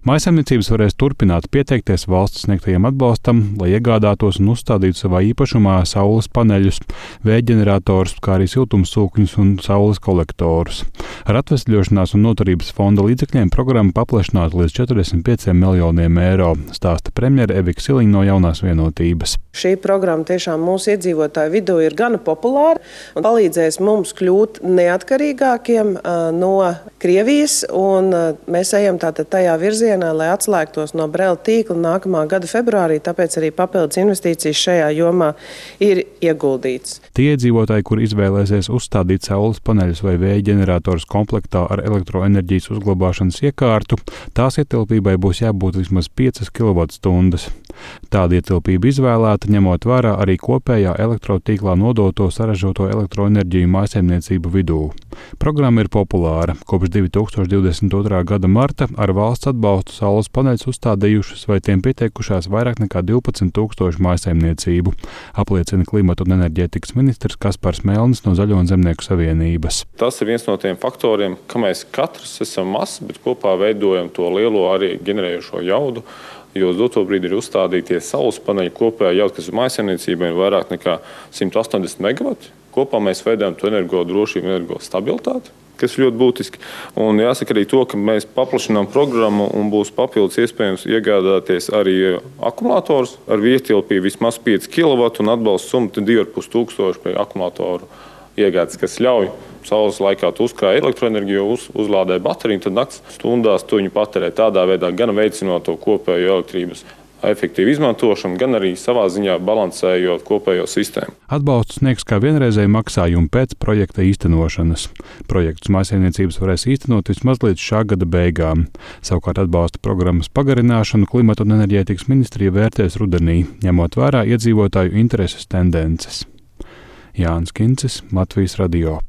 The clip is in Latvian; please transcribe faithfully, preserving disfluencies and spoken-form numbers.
Mājsaimniecības varēs turpināt pieteikties valsts sniegtajam atbalstam, lai iegādātos un uzstādītu savā īpašumā saules paneļus, vējģenerators, kā arī siltumsūkņus un saules kolektorus. Ar atvesļošanās un noturības fonda līdzekļiem programma paplašināta līdz četrdesmit pieciem miljoniem eiro, stāsta premjere Evika Siliņa no Jaunās Vienotības. Šī programma tiešām mūsu iedzīvotāju vidū ir gana populāra un palīdzēs mums kļūt neatkarīgākiem no Krievijas, un mēs ejam tātad tajā virzienā, lai atslēgtos no Brela tīkla nākamā gada februārī, tāpēc arī papildus investīcijas šajā jomā ir ieguldīts. Tie iedzīvotāji, kur izvēlēsies uzstādīt saules paneļus vai vēja ģenerators komplektā ar elektroenerģijas uzglabāšanas iekārtu, tās ietilpībai būs jābūt vismaz piecas kilovatstundas. Tāda ietilpība izvēlēta, ņemot vērā arī kopējā elektrotīklā nodoto saražoto elektroenerģiju mājsaimniecību vidū. Programma ir populāra. Kopš divi tūkstoši divdesmit otrā gada marta ar valsts atbalstu saules paneļus uzstādījušas vai tiem pieteikušās vairāk nekā divpadsmit tūkstoši mājsaimniecību, apliecina klimata un enerģētikas ministrs Kaspars Melnis no Zaļo un Zemnieku savienības. Tas ir viens no tiem faktoriem, ka mēs katrs esam mazs, bet kopā veidojam to lielo arī ģenerējošo jaudu. Jo uz doto brīdi ir uzstādīties saules paneļi kopējā jauda, kas ir mājsaimniecībai ir vairāk nekā simt astoņdesmit megavati. Kopā mēs veidojam to energo drošību, energo stabilitāti, kas ir ļoti būtiski. Un jāsaka arī to, ka mēs paplašinām programmu un būs papildus iespējams iegādāties arī akumulatorus ar vietilpību vismaz pieci kilovati un atbalsta summa divi ar pus tūkstoši pie akumulatoru iegādes, kas ļauj saules laikā tu uzkrāj elektroenerģiju, uz, uzlādē bateriju, tad nakts stundās tu viņu patērē tādā veidā, gan veicinot to kopējo elektrības efektīvu izmantošanu, gan arī savā ziņā balansējot kopējo sistēmu. Atbalstu sniegs kā vienreizēju maksājumu pēc projekta īstenošanas. Projektus mājsaimniecības varēs īstenot vismaz līdz šā gada beigām. Savukārt atbalsta programmas pagarināšanu klimata un enerģētikas ministrija vērtēs rudenī, ņemot vērā iedzīvotāju intereses tendences. Jānis Kincis, Latvijas radio.